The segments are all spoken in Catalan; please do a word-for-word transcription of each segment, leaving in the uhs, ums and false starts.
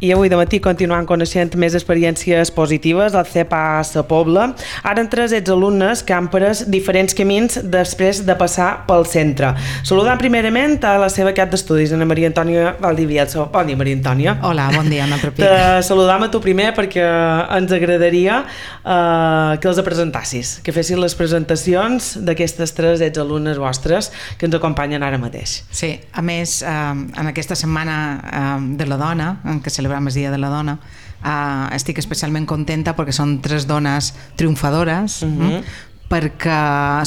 i avui de matí continuant coneixent més experiències positives al C E P A Sa Pobla. Ara entres ets alumnes que han pres diferents camins després de passar pel centre. Saludant primerament a la seva cap d'estudis, Ana Maria Antònia Valdivielso. Bon dia, Maria Antònia. Hola, bon dia, un altre pic. Te saludam a tu primer perquè ens agradaria eh, que els presentassis, que fessis les presentacions d'aquestes tres ets alumnes vostres que ens acompanyen ara mateix. Sí, a més, eh, en aquesta setmana eh, de la dona, en què celebrem el Dia de la Dona, eh, estic especialment contenta perquè són tres dones triomfadores, uh-huh. eh, perquè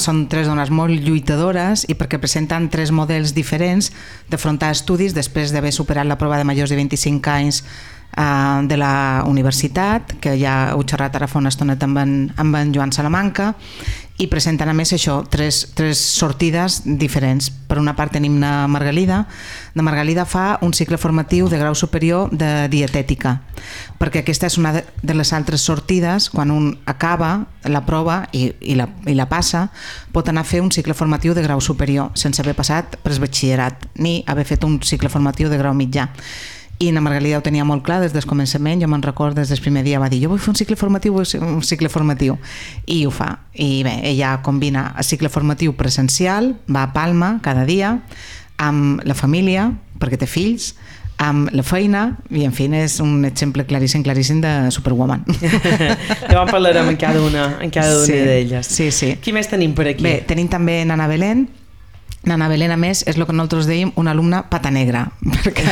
són tres dones molt lluitadores i perquè presenten tres models diferents d'afrontar estudis després d'haver superat la prova de majors de vint-i-cinc anys Uh, de la universitat, que ja heu xerrat ara fa una estoneta amb en, amb en Joan Salamanca, i presenten a més això, tres, tres sortides diferents. Per una part tenim la Margalida. La Margalida fa un cicle formatiu de grau superior de dietètica, perquè aquesta és una de les altres sortides. Quan un acaba la prova i, i, la, i la passa, pot anar a fer un cicle formatiu de grau superior sense haver passat per el batxillerat ni haver fet un cicle formatiu de grau mitjà. I la Margalida ho tenia molt clar des del començament. Jo me'n recordo, des del primer dia va dir jo vull fer un cicle formatiu, un cicle formatiu, i ho fa. I bé, ella combina el cicle formatiu presencial, va a Palma cada dia, amb la família, perquè té fills, amb la feina, i en fi, és un exemple claríssim, claríssim de Superwoman. Ja en parlarem en cada una, en cada una sí, d'elles. Sí, sí. Qui més tenim per aquí? Bé, tenim també Nana Belén. Nana Belén, a més, és el que nosaltres dèiem una alumna pata negra, perquè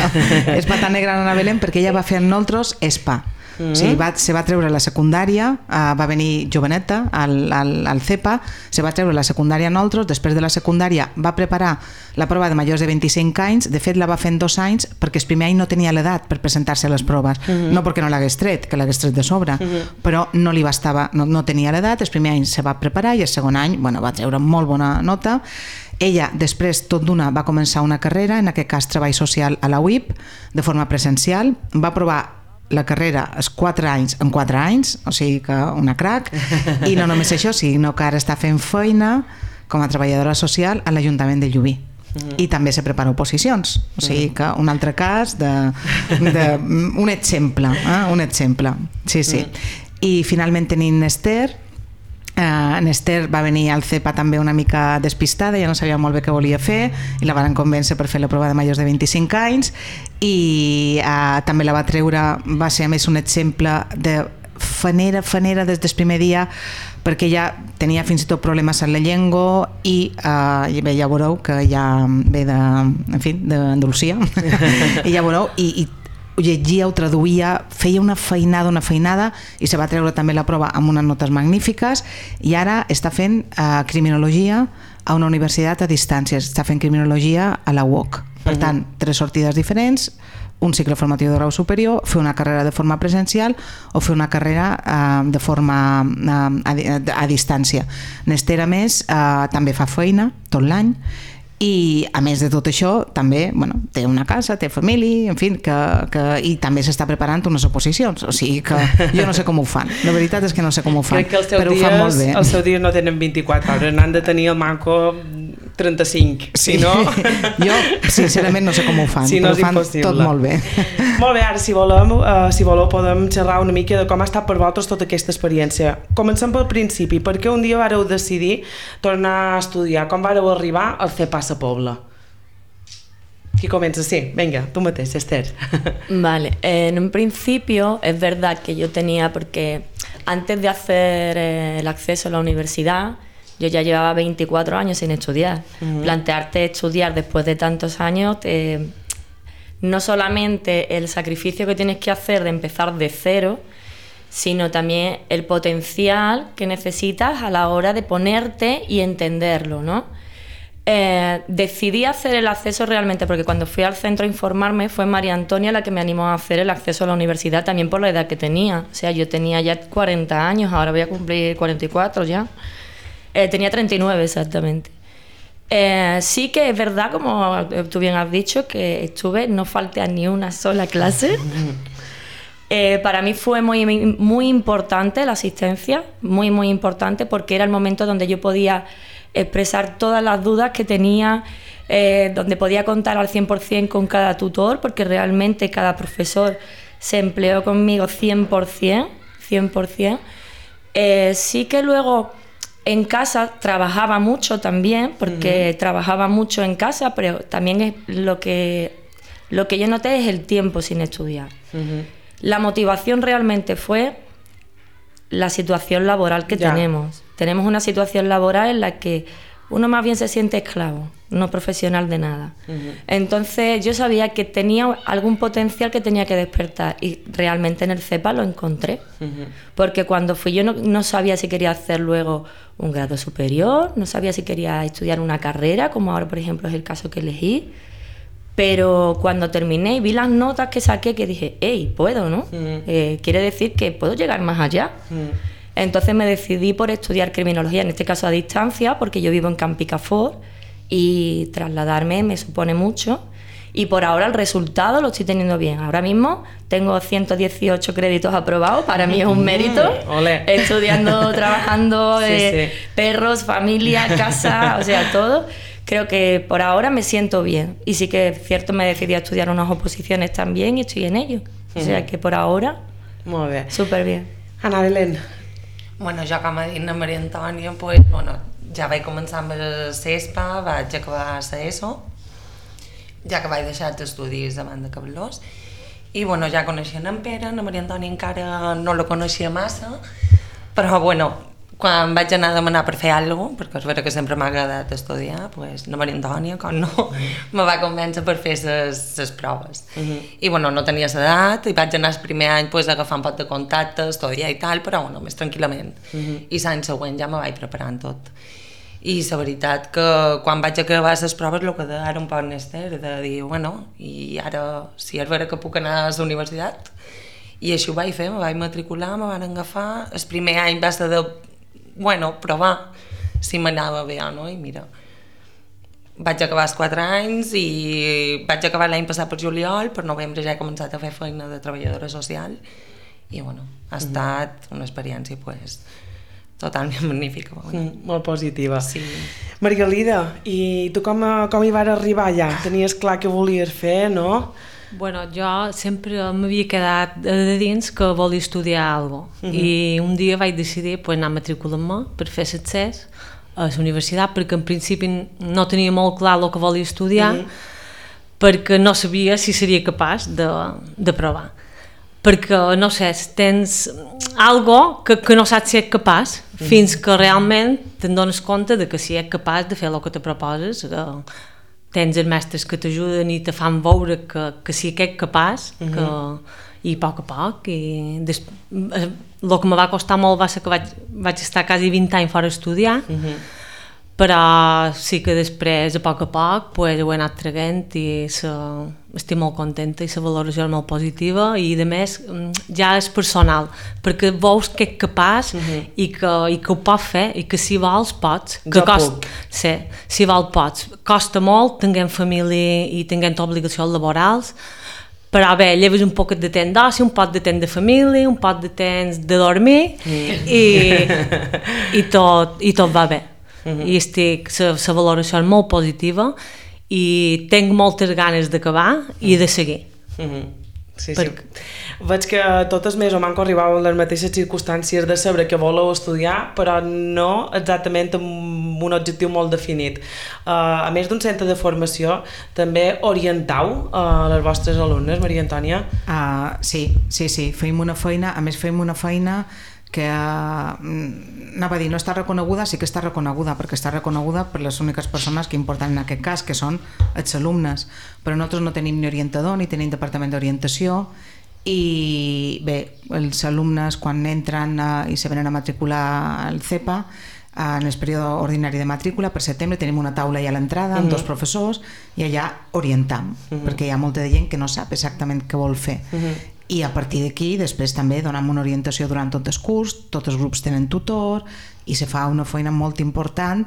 és pata negra Nana Belén perquè ella va fer amb nosaltres ESPA. Mm-hmm. O sigui, va, se va treure la secundària, uh, va venir joveneta al, al, al C E P A, se va treure la secundària a nosaltres, després de la secundària va preparar la prova de majors de vint-i-cinc anys, de fet la va fer en dos anys perquè el primer any no tenia l'edat per presentar-se a les proves, mm-hmm. no perquè no l'hagués tret, que l'hagués tret de sobre, mm-hmm. però no li bastava, no, no tenia l'edat, el primer any se va preparar i el segon any, bueno, va treure molt bona nota. Ella, després, tot d'una, va començar una carrera, en aquest cas treball social a la U I P, de forma presencial. Va provar la carrera els quatre anys en quatre anys, o sigui que una crac, i no només això, sinó que ara està fent feina com a treballadora social a l'Ajuntament de Llubí. I també se prepara oposicions, o sigui que un altre cas de, de un exemple, eh? un exemple, sí, sí. I finalment tenim Esther. Uh, en Esther va venir al C E P A també una mica despistada, ja no sabia molt bé què volia fer i la van convèncer per fer la prova de majors de vint-i-cinc anys i uh, també la va treure, va ser a més un exemple de fanera, fanera des del primer dia, perquè ja tenia fins i tot problemes amb la llengua i, uh, i bé, ja veureu que ja ve de, en fi, d'Andalusia i ja veureu i, i ho llegia, ho traduïa, feia una feinada, una feinada i se va treure també la prova amb unes notes magnífiques i ara està fent uh, criminologia a una universitat a distància, està fent criminologia a la U O C. Per uh-huh. tant, tres sortides diferents, un cicle formatiu de grau superior, fer una carrera de forma presencial o fer una carrera uh, de forma uh, a, a, a distància. N'Esther, a més, uh, també fa feina tot l'any i a més de tot això també, bueno, té una casa, té família, en fi, que, que, i també s'està preparant unes oposicions, o sigui que jo no sé com ho fan, la veritat és que no sé com ho fan, però dies, ho fan molt bé. Els seus dies no tenen vint-i-quatre hores, n'han de tenir el manco trenta-cinc, sí. si no... Jo sincerament no sé com ho fan, si no però ho fan impossible. Tot molt bé. Molt bé, ara si volem, uh, si voleu podem xerrar una mica de com ha estat per vosaltres tota aquesta experiència. Comencem pel principi, per què un dia vareu decidir tornar a estudiar, com vareu arribar al C E P A Sa Pobla? Qui comença? Sí, venga, tú mateix, Esther. Vale, eh, en un principio es verdad que yo tenía, porque antes de hacer eh, el acceso a la universidad, yo ya llevaba veinticuatro años sin estudiar. Uh-huh. Plantearte estudiar después de tantos años, te, no solamente el sacrificio que tienes que hacer de empezar de cero, sino también el potencial que necesitas a la hora de ponerte y entenderlo, ¿no? Eh, decidí hacer el acceso realmente porque cuando fui al centro a informarme fue María Antonia la que me animó a hacer el acceso a la universidad, también por la edad que tenía. O sea, yo tenía ya cuarenta años, ahora voy a cumplir cuarenta y cuatro ya. Eh, tenía treinta y nueve exactamente. Eh, sí que es verdad, como tú bien has dicho, que estuve, no falté a ni una sola clase. Eh, para mí fue muy, muy importante la asistencia, muy, muy importante, porque era el momento donde yo podía expresar todas las dudas que tenía, eh, donde podía contar al cien por ciento con cada tutor, porque realmente cada profesor se empleó conmigo cien por ciento, cien por ciento. Eh, sí que luego en casa trabajaba mucho también, porque uh-huh. trabajaba mucho en casa, pero también es lo que, lo que yo noté es el tiempo sin estudiar. Uh-huh. La motivación realmente fue la situación laboral que ya. tenemos. Tenemos una situación laboral en la que uno más bien se siente esclavo, no profesional de nada. Uh-huh. Entonces yo sabía que tenía algún potencial que tenía que despertar y realmente en el CEPA lo encontré. Uh-huh. Porque cuando fui yo no, no sabía si quería hacer luego un grado superior, no sabía si quería estudiar una carrera, como ahora por ejemplo es el caso que elegí. Pero cuando terminé y vi las notas que saqué, que dije, hey, puedo, ¿no? Uh-huh. Eh, quiere decir que puedo llegar más allá. Uh-huh. Entonces me decidí por estudiar criminología, en este caso a distancia, porque yo vivo en Campicafort y trasladarme me supone mucho. Y por ahora el resultado lo estoy teniendo bien. Ahora mismo tengo ciento dieciocho créditos aprobados, para mí es un mérito. Olé. Estudiando, trabajando, sí, eh, sí. perros, familia, casa, o sea, todo. Creo que por ahora me siento bien. Y sí que es cierto, me decidí a estudiar unas oposiciones también y estoy en ello. O sea que por ahora, molt bé. Súper bien. Ana Belén. Bueno, jo com ha dit la Maria Antònia, pues, bueno, ja vaig començar amb el CESPA, vaig acabar la ESO, ja que vaig deixar els estudis abans de Cablós, i bueno, ja coneixia en Pere, la Maria Antònia encara no la coneixia massa, però bueno, quan vaig anar a demanar per fer alguna cosa, perquè és vera que sempre m'ha agradat estudiar, pues, la Maria Antònia, com no, me va convèncer per fer les proves. Uh-huh. I bueno, no tenia l'edat, i vaig anar el primer any pues, agafar un poc de contacte, estudiar i tal, però bueno, més tranquil·lament. Uh-huh. I l'any següent ja me vaig preparant tot. I la veritat que quan vaig acabar les proves el que deia era un poc nester, de dir, bueno, i ara si és vera que puc anar a la universitat, i així ho vaig fer, me vaig matricular, me van agafar, el primer any va ser de bueno, provar si m'anava bé o no, i mira, vaig acabar els quatre anys i vaig acabar l'any passat per juliol, per novembre ja he començat a fer feina de treballadora social i bueno, ha estat una experiència pues, totalment magnífica. Mm, molt positiva. Sí. Margalida, i tu com, com hi vas arribar allà? Tenies clar què volies fer, no? Bueno, jo sempre m'havia quedat de dins que volia estudiar alguna cosa. Uh-huh. I un dia vaig decidir pues, anar a matricular-me per fer l'accés a la universitat, perquè en principi no tenia molt clar el que volia estudiar, uh-huh. perquè no sabia si seria capaç de, de provar. Perquè, no sé, tens algo que, que no saps si ets capaç, uh-huh. fins que realment te'n dones compte de que si ets capaç de fer el que te proposes, uh, tens els mestres que t'ajuden i te fan veure que, que sí que ets capaç, uh-huh. que, i a poc a poc. I des, el que em va costar molt va ser que vaig, vaig estar quasi vint anys fora estudiar, uh-huh. però sí que després, a poc a poc, pues, ho he anat traguent i se, estic molt contenta i la valoració és molt positiva i a més ja és personal, perquè veus que ets capaç uh-huh. i, que, i que ho pots fer i que si vols pots. Que jo cost, puc. Sí, si vols pots. Costa molt, tinguem família i tinguem obligacions laborals, però bé, lleves un poc de temps d'oci, un poc de temps de família, un poc de temps de dormir mm. i, i, tot, i tot va bé. Uh-huh. I estic, la valoració és molt positiva i tinc moltes ganes d'acabar i de seguir. Uh-huh. Sí, per... sí. Veig que totes més o manco arribàveu en les mateixes circumstàncies de saber que voleu estudiar, però no exactament amb un objectiu molt definit. Uh, a més d'un centre de formació, també orientau uh, les vostres alumnes, Maria Antònia? Uh, sí, sí, sí, feim una feina, a més feim una feina que uh, anava a dir, no està reconeguda, sí que està reconeguda, perquè està reconeguda per les úniques persones que importen en aquest cas, que són els alumnes, però nosaltres no tenim ni orientador ni tenim departament d'orientació i bé, els alumnes quan entren uh, i se venen a matricular al CEPA uh, en el període ordinari de matrícula per setembre tenim una taula allà a l'entrada amb uh-huh. dos professors i allà orientam uh-huh. perquè hi ha molta de gent que no sap exactament què vol fer uh-huh. i a partir d'aquí després també donem una orientació durant tot el curs, tots els grups tenen tutor i se fa una feina molt important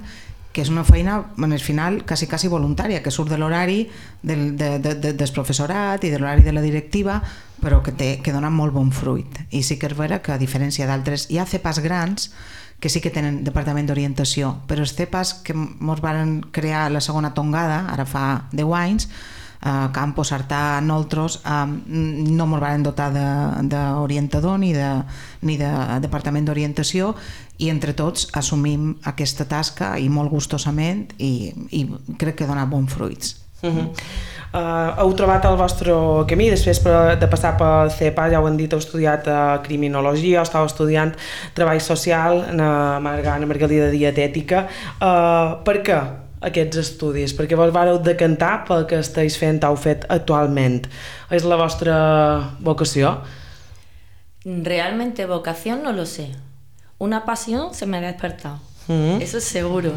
que és una feina, en el final, quasi, quasi voluntària, que surt de l'horari del, de, de, de, del professorat i de l'horari de la directiva, però que, té, que dona molt bon fruit. I sí que és vera que a diferència d'altres, hi ha CEPAs grans que sí que tenen departament d'orientació, però els CEPAs que ens van crear la segona tongada, ara fa deu anys, a Campo, Sartà, nosaltres eh, no ens van dotar d'orientador ni de, ni de departament d'orientació, i entre tots assumim aquesta tasca i molt gustosament, i, i crec que dona bons fruits. Uh-huh. Uh, heu trobat el vostre camí després de passar pel C E P A, ja ho han dit, heu estudiat uh, criminologia, estàu estudiant treball social, Ana Margalida dietètica. Uh, per què aquests estudis? Perquè vos vareu decantar pel que esteu fent, heu fet actualment. És la vostra vocació? Realmente vocación no lo sé. Una pasión se me ha despertado. Uh-huh. Eso es seguro.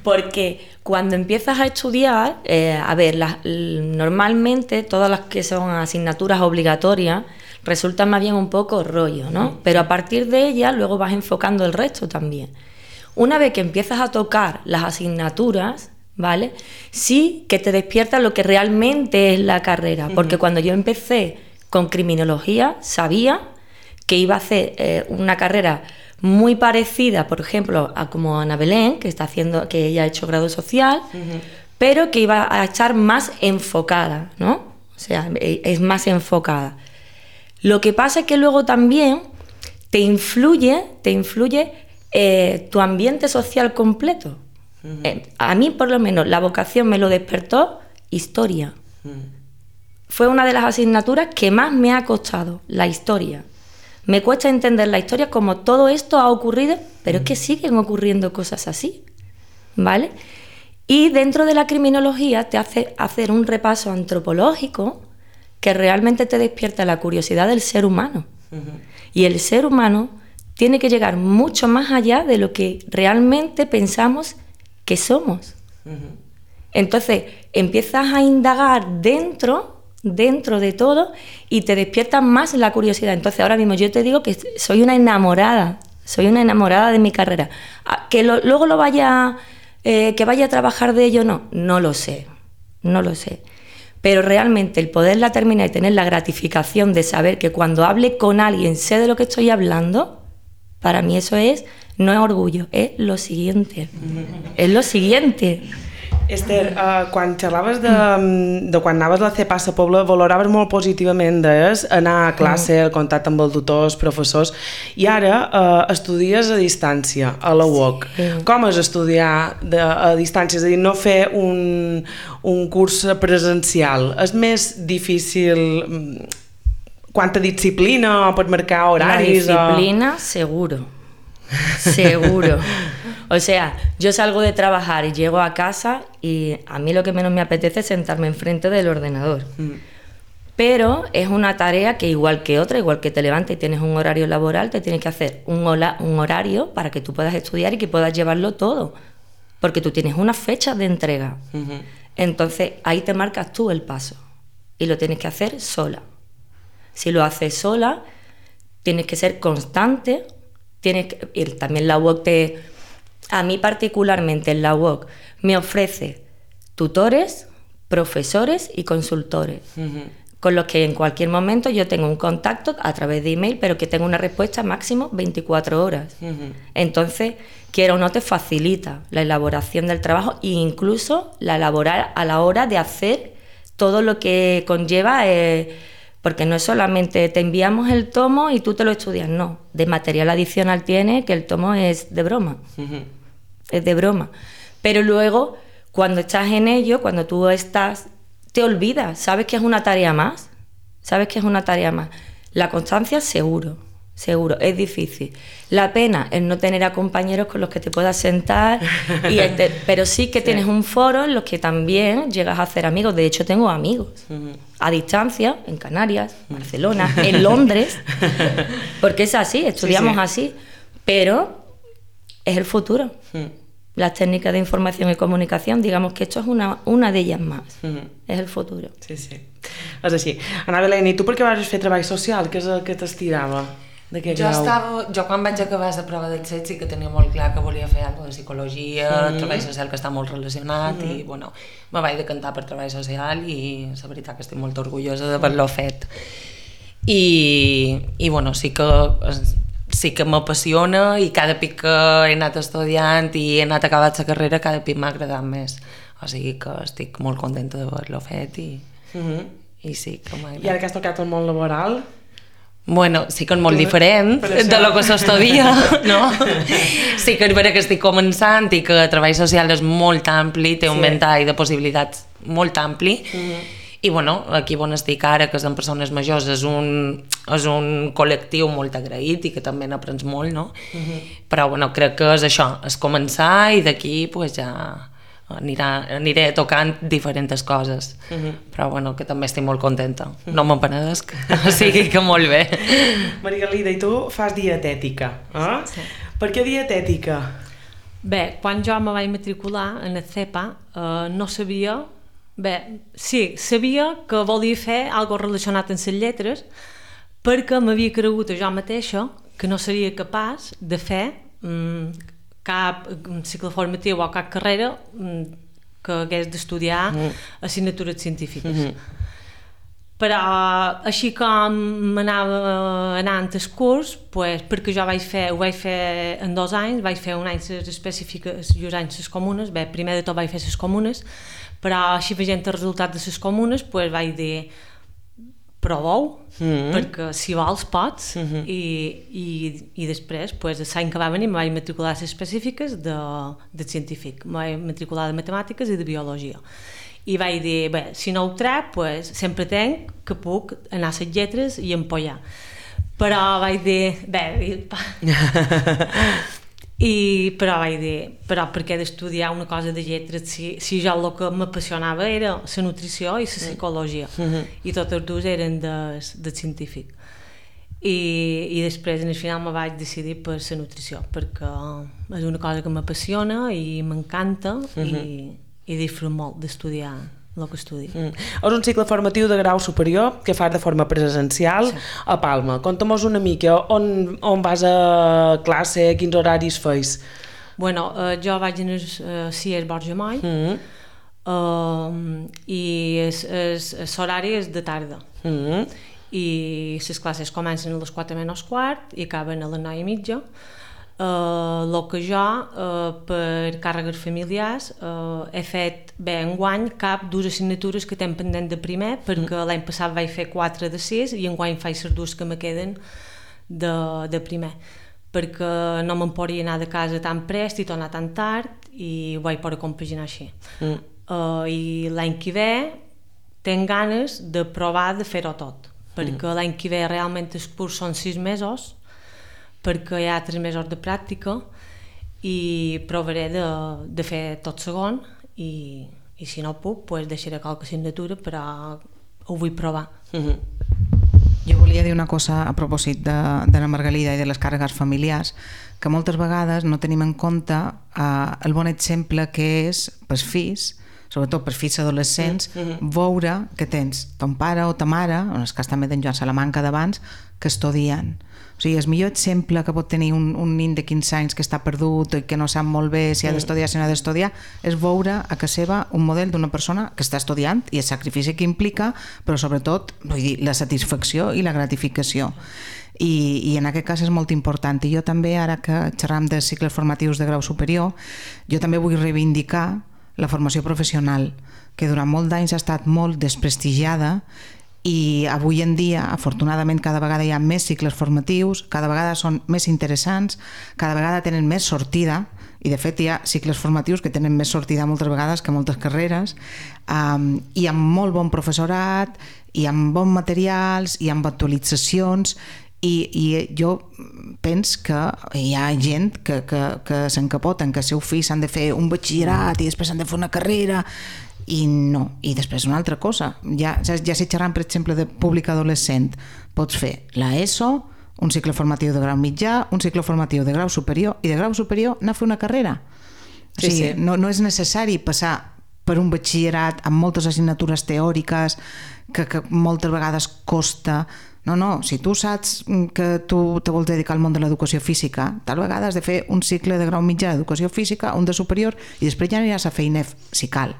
Porque cuando empiezas a estudiar, eh, a ver, las, normalmente todas las que son asignaturas obligatorias resultan más bien un poco rollo, ¿no? Pero a partir de ellas luego vas enfocando el resto también. Una vez que empiezas a tocar las asignaturas, ¿vale? Sí que te despierta lo que realmente es la carrera, porque cuando yo empecé con criminología sabía que iba a hacer eh, una carrera muy parecida, por ejemplo, a como Ana Belén, que está haciendo, que ella ha hecho grado social, uh-huh. pero que iba a estar más enfocada, ¿no? O sea, es más enfocada. Lo que pasa es que luego también te influye, te influye eh, tu ambiente social completo. Uh-huh. Eh, a mí, por lo menos, la vocación me lo despertó historia. Uh-huh. Fue una de las asignaturas que más me ha costado, la historia. Me cuesta entender la historia como todo esto ha ocurrido, pero es que siguen ocurriendo cosas así, ¿vale? Y dentro de la criminología te hace hacer un repaso antropológico que realmente te despierta la curiosidad del ser humano. Uh-huh. Y el ser humano tiene que llegar mucho más allá de lo que realmente pensamos que somos. Uh-huh. Entonces empiezas a indagar dentro... dentro de todo y te despierta más la curiosidad. Entonces ahora mismo yo te digo que soy una enamorada, soy una enamorada de mi carrera. Que lo, luego lo vaya, eh, que vaya a trabajar de ello, no, no lo sé, no lo sé. Pero realmente el poderla terminar y tener la gratificación de saber que cuando hable con alguien sé de lo que estoy hablando, para mí eso es, no es orgullo, es lo siguiente, es lo siguiente. Esther, uh, quan xerraves de, de quan anaves a la C E P A a Pobla, valoraves molt positivament des, anar a classe, el contacte amb els tutors, professors, i ara uh, estudies a distància, a la U O C. Sí. Com és estudiar de, a distància? És a dir, no fer un, un curs presencial. És més difícil... Quanta disciplina pot marcar horaris? La disciplina, o... seguro. Seguro. O sea, yo salgo de trabajar y llego a casa y a mí lo que menos me apetece es sentarme enfrente del ordenador. Mm. Pero es una tarea que igual que otra, igual que te levantas y tienes un horario laboral, te tienes que hacer un, hola, un horario para que tú puedas estudiar y que puedas llevarlo todo. Porque tú tienes unas fechas de entrega. Mm-hmm. Entonces ahí te marcas tú el paso y lo tienes que hacer sola. Si lo haces sola, tienes que ser constante. Tienes que, y también la U O C te, a mí particularmente en la U O C me ofrece tutores, profesores y consultores, uh-huh. con los que en cualquier momento yo tengo un contacto a través de email, pero que tengo una respuesta máximo veinticuatro horas. Uh-huh. Entonces, quiera o no, te facilita la elaboración del trabajo e incluso la elaborar a la hora de hacer todo lo que conlleva... Eh, porque no es solamente te enviamos el tomo y tú te lo estudias, no. De material adicional tiene que el tomo es de broma, uh-huh. es de broma. Pero luego, cuando estás en ello, cuando tú estás, te olvidas, sabes que es una tarea más, sabes que es una tarea más. La constancia, seguro, seguro, es difícil. La pena es no tener a compañeros con los que te puedas sentar, y este, pero sí que sí. Tienes un foro en los que también llegas a hacer amigos. De hecho, tengo amigos uh-huh. a distancia, en Canarias, Barcelona, en Londres, porque es así, estudiamos sí, sí. así, pero es el futuro. Uh-huh. Las técnicas de información y comunicación, digamos que esto es una, una de ellas más, uh-huh. és el futur. Sí, sí, és així. Ana Belén, i tu per què vas fer treball social? Què és el que t'estirava? Jo, estava, jo quan vaig acabar la prova del C E T sí que tenia molt clar que volia fer alguna de psicologia, mm. treball social, que està molt relacionat, mm. i bueno, me vaig decantar per treball social i la veritat que estic molt orgullosa d'haver-lo fet. I, i bueno, sí que sí que m'apassiona i cada pic que he anat estudiant i he anat acabant la carrera cada pic m'ha agradat més o sigui que estic molt contenta d'haver-lo fet i, uh -huh. i sí que m'agrada. I ara que has tocat el món laboral? Bueno, sí que és molt diferent de lo que s'estudia, no? Sí que és vera que estic començant i que el treball social és molt ampli, té un sí. ventall de possibilitats molt ampli, uh -huh. i bueno, aquí on estic ara, que són persones majors, és un, és un col·lectiu molt agraït i que també n'aprens molt, no? Uh -huh. Però bueno, crec que és això, és començar i d'aquí pues, ja anirà, aniré tocant diferents coses, uh -huh. però bueno, que també estic molt contenta, no me'n penedesc, o sigui que molt bé. Margalida, i tu fas dietètica, eh? Sí. Per què dietètica? Bé, quan jo me vaig matricular en el C E P A eh, no sabia, bé, sí, sabia que volia fer alguna cosa relacionat amb les lletres perquè m'havia cregut a jo mateixa que no seria capaç de fer mm, cap cicle formatiu o cap carrera que hagués d'estudiar mm. assignatures científiques. Mm -hmm. Però així com m'anava anant al curs, pues, perquè jo vaig fer, ho vaig fer en dos anys, vaig fer un any les específiques i un any les comunes, bé, primer de tot vaig fer les comunes, però així veient el resultat de les comunes, pues, vaig dir proveu, mm -hmm. perquè si vols pots, mm -hmm. i, i, i després, pues, l'any que va venir, me vaig matricular a les específiques de, de científic, me vaig matricular de matemàtiques i de biologia. I vaig dir, bé, si no ho trec, pues, sempre tenc que puc anar a les lletres i empollar. Però vaig dir, bé, i, però vaig dir, però per què d'estudiar una cosa de lletres si, si jo el que m'apassionava era la nutrició i la psicologia, mm-hmm. i tots els dos eren de, de científic. I, i després, en el final, me vaig decidir per la nutrició, perquè és una cosa que m'apassiona i m'encanta, mm-hmm. i i disfruto molt d'estudiar el que estudio. Mm. És un cicle formatiu de grau superior que fas de forma presencial, sí. a Palma. Conta'm una mica on, on vas a classe, quins horaris feis? Bueno, eh, jo vaig en el uh, C I E S Borja Moll, mm. uh, i l'horari és de tarda. Mm. I les classes comencen a les quatre menys quart i acaben a les nou i mitja. El uh, que jo, uh, per càrregues familiars, uh, he fet bé enguany cap dues assignatures que tinc pendent de primer, perquè mm. l'any passat vaig fer quatre de sis i enguany faig les dues que me queden de, de primer, perquè no me'n podria anar de casa tan prest i tornar tan tard i ho vaig poder compaginar així. Mm. Uh, I l'any que ve tinc ganes de provar de fer-ho tot, perquè mm. l'any que ve realment el curs són sis mesos, perquè hi ha tres mesos de pràctica i provaré de, de fer tot segon i, i si no puc, pues deixaré qualque assignatura, però ho vull provar. Mm-hmm. Jo volia dir una cosa a propòsit de, de la Margalida i de les càrregues familiars, que moltes vegades no tenim en compte eh, el bon exemple que és pels fills, sobretot per fills adolescents, mm-hmm. veure que tens ton pare o ta mare, en el cas també d'en Joan Salamanca d'abans, que estudien. O sigui, el millor exemple que pot tenir un, un nen de quinze anys que està perdut i que no sap molt bé si ha d'estudiar, si no ha d'estudiar, és veure a casa seva un model d'una persona que està estudiant i el sacrifici que implica, però sobretot vull dir, la satisfacció i la gratificació. I, i en aquest cas és molt important. I jo també, ara que xerram de cicles formatius de grau superior, jo també vull reivindicar la formació professional, que durant molts anys ha estat molt desprestigiada i avui en dia, afortunadament, cada vegada hi ha més cicles formatius, cada vegada són més interessants, cada vegada tenen més sortida, i de fet hi ha cicles formatius que tenen més sortida moltes vegades que moltes carreres, um, i amb molt bon professorat, i amb bons materials, i amb actualitzacions, i, i jo penso que hi ha gent que, que, que s'encapoten, que els seus fills s'han de fer un batxillerat i després s'han de fer una carrera, i no, i després una altra cosa, ja, ja si xerrant per exemple de públic adolescent, pots fer la ESO, un cicle formatiu de grau mitjà, un cicle formatiu de grau superior, i de grau superior anar a fer una carrera. O sigui, sí, sí. No, no és necessari passar per un batxillerat amb moltes assignatures teòriques que, que moltes vegades costa. No, no, si tu saps que tu te vols dedicar al món de l'educació física, tal vegada has de fer un cicle de grau mitjà d'educació física, un de superior, i després ja aniràs a fer I N E F si cal.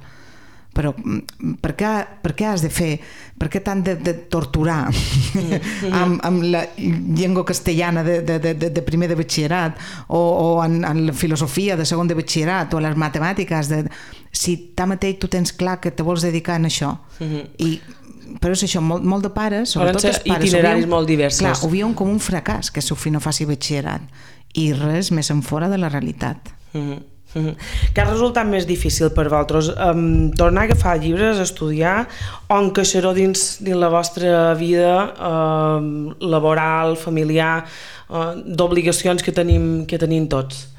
però per què, per què has de fer, per què t'han de, de torturar amb, amb la llengua castellana de, de, de, de primer de batxillerat o, o en, en la filosofia de segon de batxillerat o les matemàtiques de, si tanmateix tu tens clar que te vols dedicar a això i però és això, molt, molt de pares, sobretot els pares itineraris molt diversos. Clar, ho veuen com un fracàs que el seu fill no faci batxillerat i res més en fora de la realitat. Mm-hmm. Mm-hmm. Què ha resultat més difícil per vosaltres? Um, tornar a agafar llibres, estudiar o encaixar-ho dins, dins la vostra vida um, laboral, familiar, uh, d'obligacions que tenim, que tenim tots?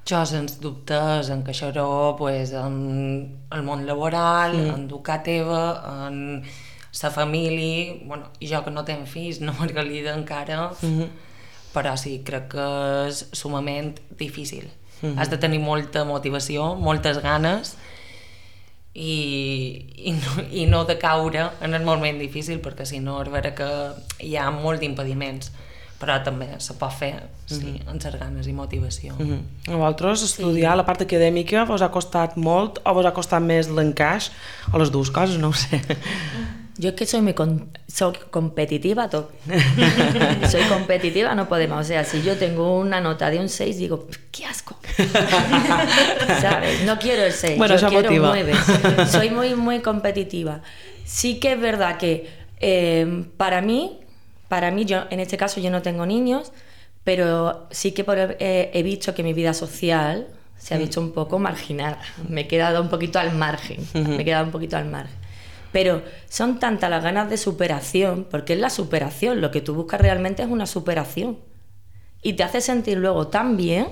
Jo, sens dubtes, encaixar-ho pues, en el món laboral, mm. en educar teva, en la família, bueno, i jo que no tenc fills, no Margalida encara, mm-hmm. però sí, crec que és sumament difícil. Mm-hmm. Has de tenir molta motivació, moltes ganes i, i, no, i no de caure en el moment difícil, perquè si no és vera que hi ha molts impediments, però també se pot fer sí, mm-hmm. amb les ganes i motivació. Mm-hmm. A vosaltres estudiar sí. la part acadèmica vos ha costat molt o vos ha costat més l'encaix o les dues coses, no ho sé. Yo es que soy muy con, soy competitiva, todo. Soy competitiva, no podemos. O sea, si yo tengo una nota de un seis, digo, ¡qué asco! ¿Sabes? No quiero el seis, bueno, yo quiero un nueve. Soy muy, muy competitiva. Sí que es verdad que eh, para mí, para mí, yo en este caso yo no tengo niños, pero sí que por, eh, he visto que mi vida social se ha visto un poco marginada. Me he quedado un poquito al margen. Me he quedado un poquito al margen. Pero son tantas las ganas de superación, porque es la superación, lo que tú buscas realmente es una superación. Y te hace sentir luego tan bien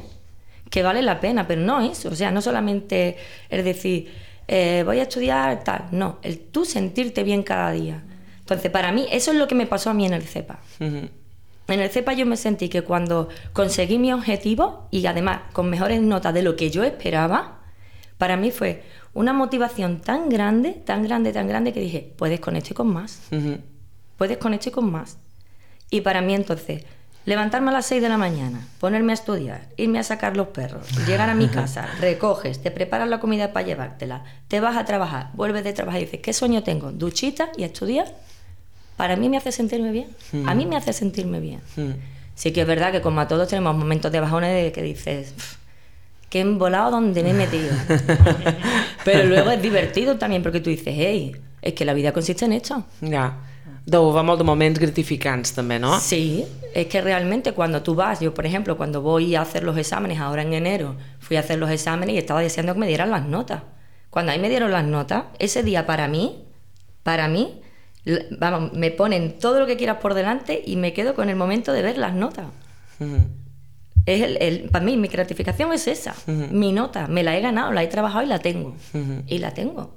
que vale la pena, pero no eso, o sea, no solamente es decir, eh, voy a estudiar tal, no, el tú sentirte bien cada día. Entonces, para mí, eso es lo que me pasó a mí en el CEPA. Uh-huh. En el CEPA yo me sentí que cuando conseguí mi objetivo, y además con mejores notas de lo que yo esperaba, para mí fue una motivación tan grande, tan grande, tan grande que dije, puedes con esto y con más. Uh-huh. Puedes con esto y con más. Y para mí entonces, levantarme a las seis de la mañana, ponerme a estudiar, irme a sacar los perros, llegar a mi casa, recoges, te preparas la comida para llevártela, te vas a trabajar, vuelves de trabajar y dices, ¿qué sueño tengo? Duchita y a estudiar. Para mí me hace sentirme bien. Uh-huh. A mí me hace sentirme bien. Uh-huh. Sí que es verdad que como a todos tenemos momentos de bajones de que dices... que embolado donde me he metido. Pero luego es divertido también porque tú dices, hey, es que la vida consiste en esto. Ya, deu haver molt de moments gratificants també, ¿no? Sí, es que realmente cuando tú vas, yo por ejemplo, cuando voy a hacer los exámenes, ahora en enero, fui a hacer los exámenes y estaba deseando que me dieran las notas. Cuando ahí me dieron las notas, ese día para mí, para mí, vamos, me ponen todo lo que quieras por delante y me quedo con el momento de ver las notas. Uh-huh. Es el, el, para mí mi gratificación es esa, uh-huh. mi nota, me la he ganado, la he trabajado y la tengo, uh-huh. y la tengo.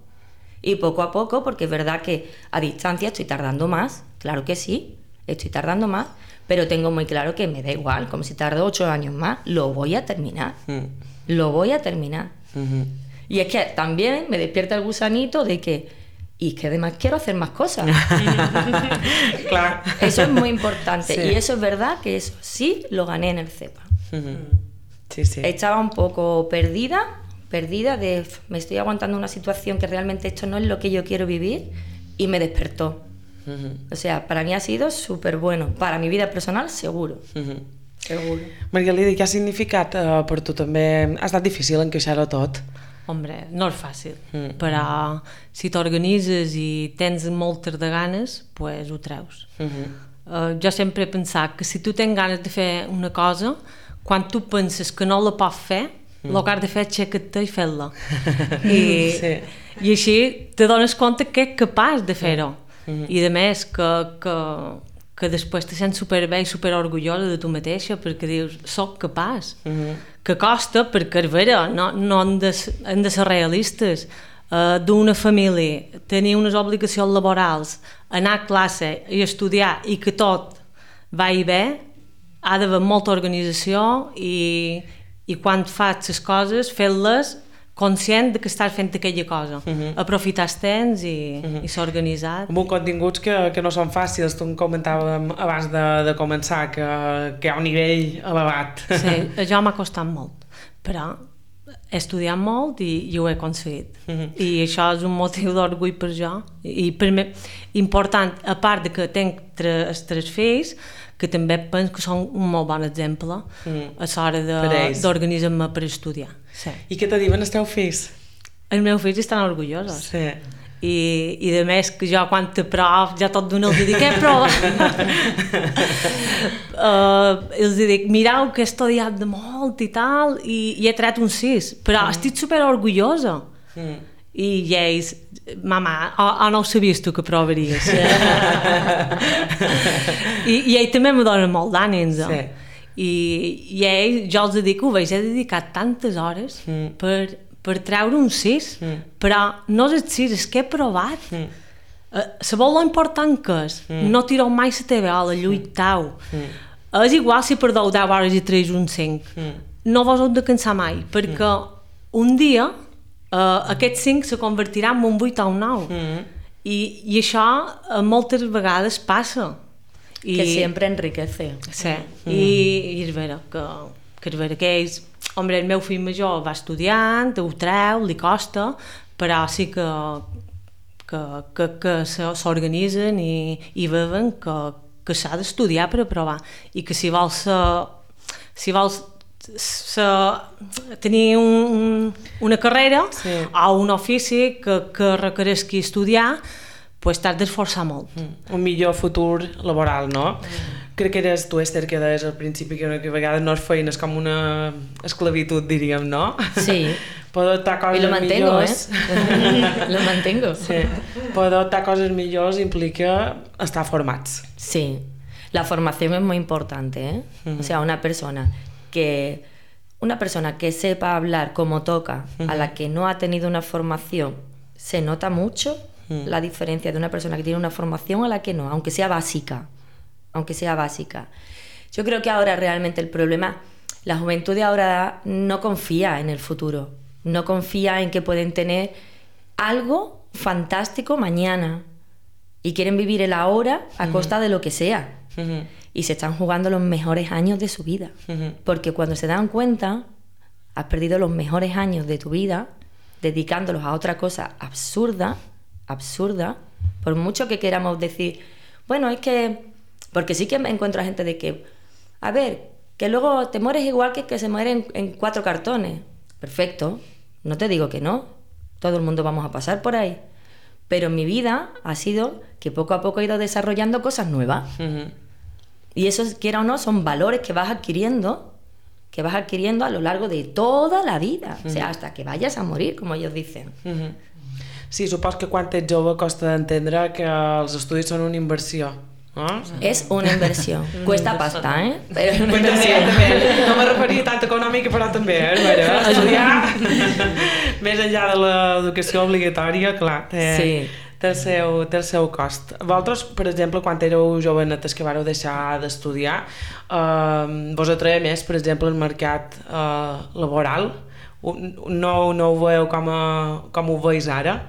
Y poco a poco, porque es verdad que a distancia estoy tardando más, claro que sí, estoy tardando más, pero tengo muy claro que me da igual, como si tardo ocho años más, lo voy a terminar, uh-huh. lo voy a terminar. Uh-huh. Y es que también me despierta el gusanito de que, y que además quiero hacer más cosas. Claro. Eso es muy importante, sí. Y eso es verdad que eso sí lo gané en el CEPA. Uh-huh. Sí, sí. Estaba un poco perdida, perdida de me estoy aguantando una situación que realmente esto no es lo que yo quiero vivir y me despertó. Uh-huh. O sea, para mí ha sido súper bueno. Para mi vida personal, seguro. Uh-huh. Seguro. Margalida, què ha significat uh, per tu també? Ha estat difícil encaixar-ho tot? Hombre, no és fàcil, mm. però si t'organitzes i tens moltes de ganes, pues ho treus. Uh-huh. Uh, jo sempre he pensat que si tu tens ganes de fer una cosa, quan tu penses que no la pots fer, mm. el que has de fer és aixecar-te i fer-la. I, sí. I així te dones compte que ets capaç de fer-ho. Mm-hmm. I a més que, que, que després te sents superbé i superorgullosa de tu mateixa perquè dius, soc capaç. Mm-hmm. Que costa, perquè és vera, no, no hem, de, hem de ser realistes. Uh, d'una família, tenir unes obligacions laborals, anar a classe i estudiar i que tot vagi bé, ha d'haver molta organització i, i quan fas les coses, fer-les conscient de que estàs fent aquella cosa. Uh-huh. Aprofitar el temps i, uh-huh. i ser organitzat. Amb continguts que, que no són fàcils, tu em comentàvem abans de, de començar, que, que hi ha un nivell elevat. Sí, això m'ha costat molt, però he estudiat molt i, i ho he aconseguit. Mm-hmm. I això és un motiu d'orgull per jo. I per mi, important, a part de que tenc tres, tres fills, que també penso que són un molt bon exemple mm. a l'hora d'organitzar-me per estudiar. Sí. I què te diuen els teus fills? Els meus fills estan orgullosos. Sí. I, i de més que jo quan te prov ja tot d'una els dic, què prova? uh, els dic, mireu que he estudiat de molt i tal i, i he tret un sis, però mm. estic super orgullosa. Mm. I ells, mama, oh, oh, no ho sabies tu que provaries. I, i ells també me donen molt d'ànims. Sí. I, i ells, jo els dic, ho veig, he dedicat tantes hores mm. per, per treure un sis, mm. però no és el sis, és que he provat. Mm. Uh, sabeu lo important que és? Mm. No tireu mai la teva ola, lluitau. Mm. És igual si perdeu deu hores i treus un cinc. Mm. No vos heu de cansar mai, perquè mm. un dia Uh, aquest cinc se convertirà en un vuit o un nou mm-hmm. I, i això uh, moltes vegades passa I, que sempre enriquece sí. mm-hmm. I, i és vera que, que és vera que ells, hombre, el meu fill major va estudiant, ho treu, li costa, però sí que que, que, que s'organitzen i, i veuen que, que s'ha d'estudiar per aprovar i que si vols si vols Se, tenir un, una carrera sí. o un ofici que, que requereixi estudiar, pues t'has d'esforçar molt. Mm. Un millor futur laboral, no? Mm. Crec que eres tu, Esther, que deies al principi que, que a vegades no és feina, és com una esclavitud, diríem, no? Sí. Poder adoptar coses y lo mantengo, millors... ¿eh? Lo mantengo. Sí. Poder adoptar coses millors implica estar formats. Sí. La formación es muy importante, ¿eh? Mm. O sea, una persona... que una persona que sepa hablar como toca, uh-huh. a la que no ha tenido una formación, se nota mucho uh-huh. la diferencia de una persona que tiene una formación a la que no, aunque sea básica, aunque sea básica. Yo creo que ahora realmente el problema, la juventud de ahora no confía en el futuro, no confía en que pueden tener algo fantástico mañana y quieren vivir el ahora a uh-huh. costa de lo que sea. Uh-huh. Y se están jugando los mejores años de su vida. Uh-huh. Porque cuando se dan cuenta, has perdido los mejores años de tu vida dedicándolos a otra cosa absurda, absurda, por mucho que queramos decir, bueno, es que... Porque sí que me encuentro a gente de que, a ver, que luego te mueres igual que que se mueren en, en cuatro cartones. Perfecto, no te digo que no. Todo el mundo vamos a pasar por ahí. Pero mi vida ha sido que poco a poco he ido desarrollando cosas nuevas. Uh-huh. Y eso, quiera o no, son valores que vas adquiriendo, que vas adquiriendo a lo largo de toda la vida, uh-huh. o sea, hasta que vayas a morir, como ellos dicen. Uh-huh. Sí, supos que quan ets jove costa d'entendre que els estudis són una inversió, no? És una inversió. Cuesta pasta, eh? Però és una inversió. També, no me referia tant econòmica, però també, eh? Estudiar més enllà de l'educació obligatòria, clar, té... Sí. Té el, seu, té el seu cost. Vosaltres, per exemple, quan éreu jovenetes que vareu deixar d'estudiar, eh, vos atreia més, per exemple, el mercat eh, laboral? No, no ho veieu com, a, com ho veus ara?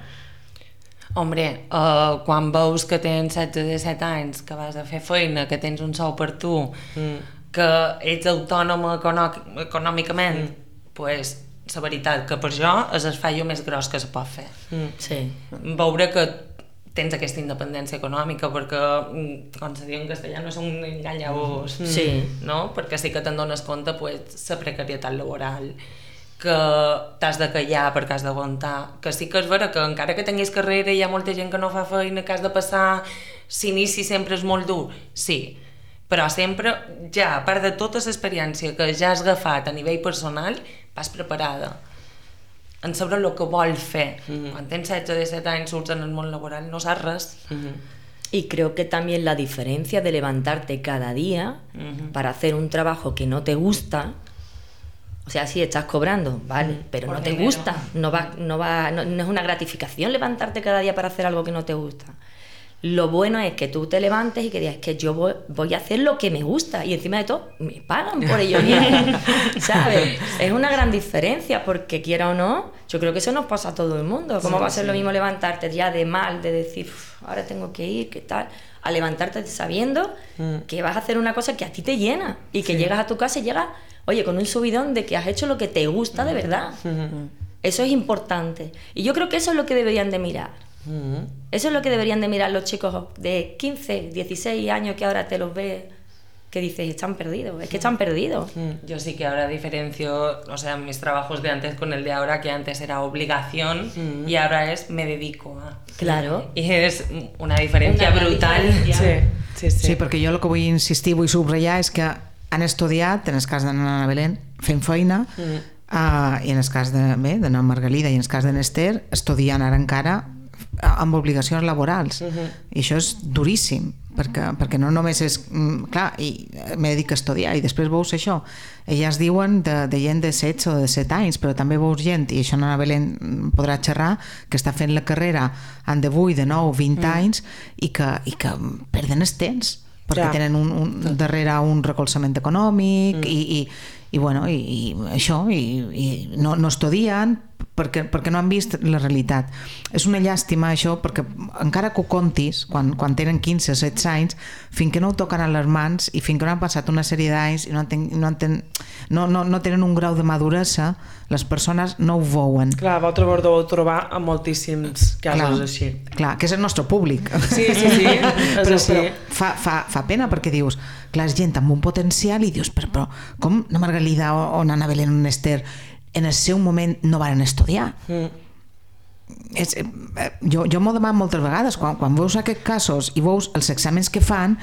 Hombre, uh, quan veus que tens setze o disset anys, que vas a fer feina, que tens un sou per tu, mm. que ets autònoma econòmicament, mm. pues, la veritat que per jo és el fallo més gros que se pot fer. Mm. Sí. Veure que tens aquesta independència econòmica, perquè, com se diu en castellà, no és un enganyabós, sí. no? Perquè sí que te'n dones compte, pues, la precarietat laboral, que t'has de callar perquè has d'aguantar, que sí que és vera que encara que tinguis carrera hi ha molta gent que no fa feina, que has de passar, l'inici sempre és molt dur, sí, però sempre, ja, a part de tota l'experiència que ja has agafat a nivell personal, vas preparada en saber el que vol fer. Mm-hmm. Quan tens setze o disset anys, surts en el món laboral, no saps res. Mm-hmm. Y creo que también la diferencia de levantarte cada día mm-hmm. para hacer un trabajo que no te gusta, o sea, sí, estás cobrando, vale, mm, pero no te dinero. gusta, no, va, no, va, no, no es una gratificación levantarte cada día para hacer algo que no te gusta. Lo bueno es que tú te levantes y que digas, es que yo voy, voy a hacer lo que me gusta y encima de todo me pagan por ello bien, ¿sabes? Es una gran diferencia porque quiera o no, yo creo que eso nos pasa a todo el mundo. ¿Cómo sí, va a ser sí. lo mismo levantarte ya de mal, de decir, ahora tengo que ir, qué tal, a levantarte sabiendo mm. que vas a hacer una cosa que a ti te llena y que sí. llegas a tu casa y llegas, oye, con un subidón de que has hecho lo que te gusta mm. de verdad. Mm. Eso es importante. Y yo creo que eso es lo que deberían de mirar. Mm. Eso es lo que deberían de mirar los chicos de quince, dieciséis años que ahora te los ves, que dices, están perdidos, es que están perdidos. Yo sí que ahora diferencio, o sea, mis trabajos de antes con el de ahora, que antes era obligación mm. y ahora es me dedico a... Claro. Y es una diferencia una brutal. Diferència. Sí, sí, sí. Sí, perquè jo el que vull insistir, vull subratllar, és que han estudiat, en el cas de Nana Belén, fent feina, mm. uh, i en el cas de, bé, de Nana Margalida i en el cas de Nester, estudiant ara encara amb obligacions laborals. Uh-huh. I això és duríssim, perquè, perquè no només és... Clar, i me dedico a estudiar, i després veus això. Elles diuen de, de gent de setze o de set anys, però també veus gent, i això Nana Belén podrà xerrar, que està fent la carrera en de vuit, de nou, vint mm. anys, i que, i que perden el temps, perquè ja. tenen un, un, darrere un recolzament econòmic, mm. i, i, i, bueno, i, i això, i, i no, no estudien, perquè, perquè no han vist la realitat. És una llàstima això, perquè encara que ho contis, quan, quan tenen quinze o setze anys, fins que no ho toquen a les mans i fins que no han passat una sèrie d'anys i no, ten, no, ten, no, no, no tenen un grau de maduresa, les persones no ho veuen. Clar, vosaltres ho deu trobar en moltíssims casos clar, així. Clar, que és el nostre públic. Sí, sí, sí. però, però fa, fa, fa pena perquè dius, clar, és gent amb un potencial i dius, però, però com na Margalida o, o Nana Belén o Nester en el seu moment no van estudiar. Mm. És, eh, jo jo m'ho demano moltes vegades quan, quan veus aquests casos i veus els exàmens que fan,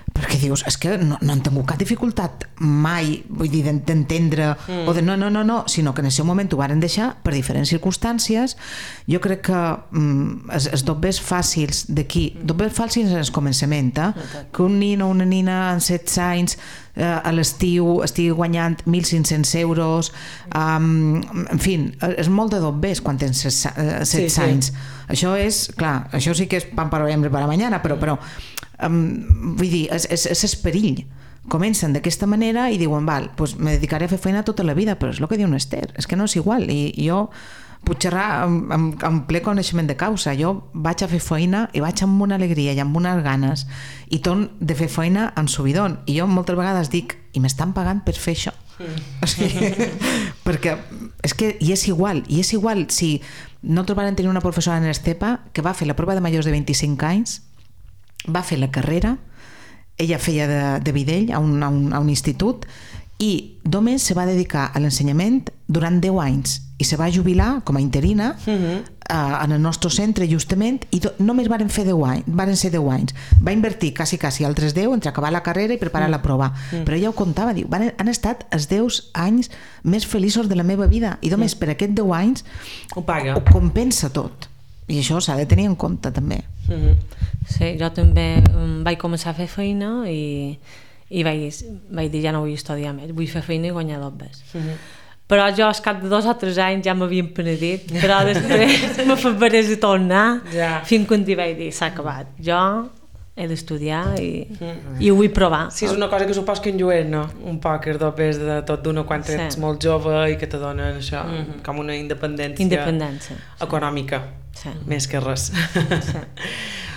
perquè dius, és que no, no han tingut cap dificultat mai, vull dir, d'entendre mm. o de no, no, no, no, sinó que en el seu moment ho varen deixar per diferents circumstàncies. Jo crec que mm, els, els dobbers fàcils d'aquí, mm. dobbers fàcils en el començament, eh? Mm. que un nin o una nina en setze anys eh, a l'estiu estigui guanyant mil cinc-cents euros, um, en fi, és molt de dobbers quan tens setze sí, anys. Sí. Això és, clar, això sí que és pan para hoy, hambre para mañana, però, però um, vull dir, és, és, és el perill. Comencen d'aquesta manera i diuen, val, pues me dedicaré a fer feina tota la vida, però és el que diu Nester, és que no és igual. I, i jo puc xerrar amb, amb, amb ple coneixement de causa. Jo vaig a fer feina i vaig amb una alegria i amb unes ganes i torn de fer feina en subidon. I jo moltes vegades dic, i m'estan pagant per fer això. Mm. O sigui, perquè és que i és igual, i és igual si nosaltres vam tenir una professora en Estepa que va fer la prova de majors de vint-i-cinc anys, va fer la carrera, ella feia de, de videll a un, a, un, a un institut i només se va dedicar a l'ensenyament durant deu anys i se va jubilar com a interina uh-huh. uh, en el nostre centre justament i do, només varen fer deu anys, varen ser deu anys. Va invertir quasi, quasi altres deu entre acabar la carrera i preparar uh-huh. la prova. Uh-huh. Però ella ho contava, diu, van, han estat els deu anys més feliços de la meva vida i només uh-huh. per aquests deu anys ho paga. Ho compensa tot. I això s'ha de tenir en compte també. Uh-huh. Sí, jo també um, vaig començar a fer feina i, i vaig, vaig dir ja no vull estudiar més, vull fer feina i guanyar dobbers. Uh-huh. Però jo al cap de dos o tres anys ja m'havien penedit, però després me faré de tornar yeah. fins que un dia vaig dir s'ha acabat, jo he d'estudiar i, mm. i ho vull provar. Sí, és una cosa que supos que enllueix, no? Un poc els dobbers de tot d'una quan sí. ets molt jove i que te donen això, mm-hmm. com una independència, independència econòmica, sí. més que res. Sí.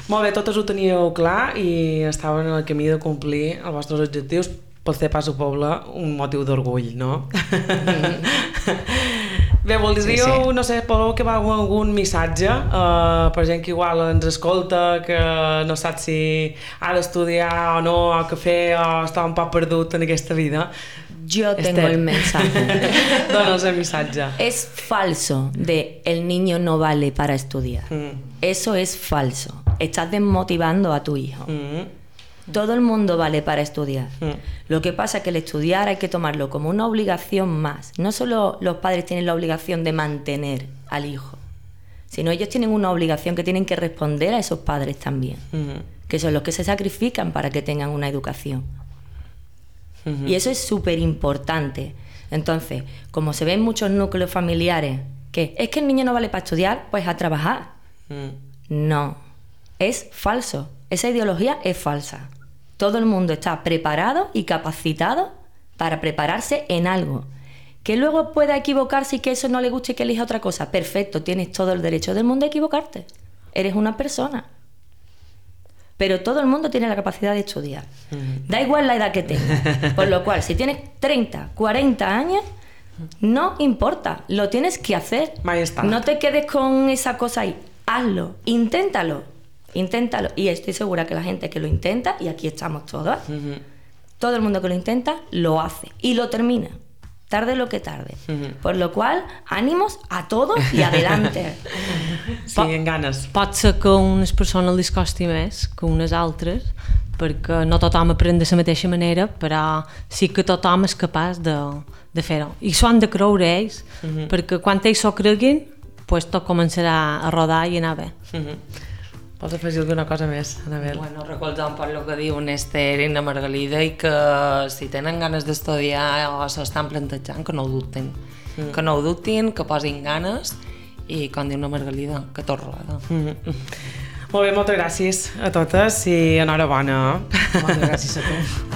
Molt bé, totes ho teníeu clar i estaven en el camí de complir els vostres objectius. Pel fer pas al poble, un motiu d'orgull, no? Bé, voldríeu, sí, sí. no sé, podeu que va algun missatge uh, per gent que igual ens escolta, que no sap si ha d'estudiar o no, o que fer, o està un poc perdut en aquesta vida. Yo tengo Esther. El mensaje. Donos el mensaje. Es falso de el niño no vale para estudiar. Mm. Eso es falso. Estás desmotivando a tu hijo. Mm. Todo el mundo vale para estudiar. Mm. Lo que pasa es que el estudiar hay que tomarlo como una obligación más. No solo los padres tienen la obligación de mantener al hijo, sino ellos tienen una obligación que tienen que responder a esos padres también, mm. que son los que se sacrifican para que tengan una educación. Mm-hmm. Y eso es súper importante. Entonces, como se ven muchos núcleos familiares que es que el niño no vale para estudiar, pues a trabajar. Mm. No, es falso. Esa ideología es falsa. Todo el mundo está preparado y capacitado para prepararse en algo. Que luego pueda equivocarse y que eso no le guste y que elija otra cosa. Perfecto, tienes todo el derecho del mundo a equivocarte. Eres una persona. pero todo el mundo tiene la capacidad de estudiar. Da igual la edad que tengas. Por lo cual, si tienes treinta, cuarenta años, no importa, lo tienes que hacer. Mai està. No te quedes con esa cosa ahí. Hazlo, inténtalo, inténtalo. Y estoy segura que la gente que lo intenta, y aquí estamos todos, uh-huh. todo el mundo que lo intenta, lo hace y lo termina. Tarde lo que tarde. Uh-huh. Por lo cual, ánimos a todos y adelante. Sí, en ganes. Pot ser que a unes persones les costi més que unes altres, perquè no tothom aprèn de la mateixa manera, però sí que tothom és capaç de, de fer-ho. I s'ho han de creure ells, uh-huh. perquè quan ells s'ho creguin, pues tot començarà a rodar i anar bé. Uh-huh. Vols afegir alguna cosa més, Anabel? Bueno, recolzant per el que diuen Esther i la Margalida, i que si tenen ganes d'estudiar o s'estan plantejant, que no ho dubtin. Mm. Que no ho dubtin, que posin ganes i, com diu la Margalida, que tot roda. Mm. Molt bé, moltes gràcies a totes i enhorabona. Moltes gràcies a tu.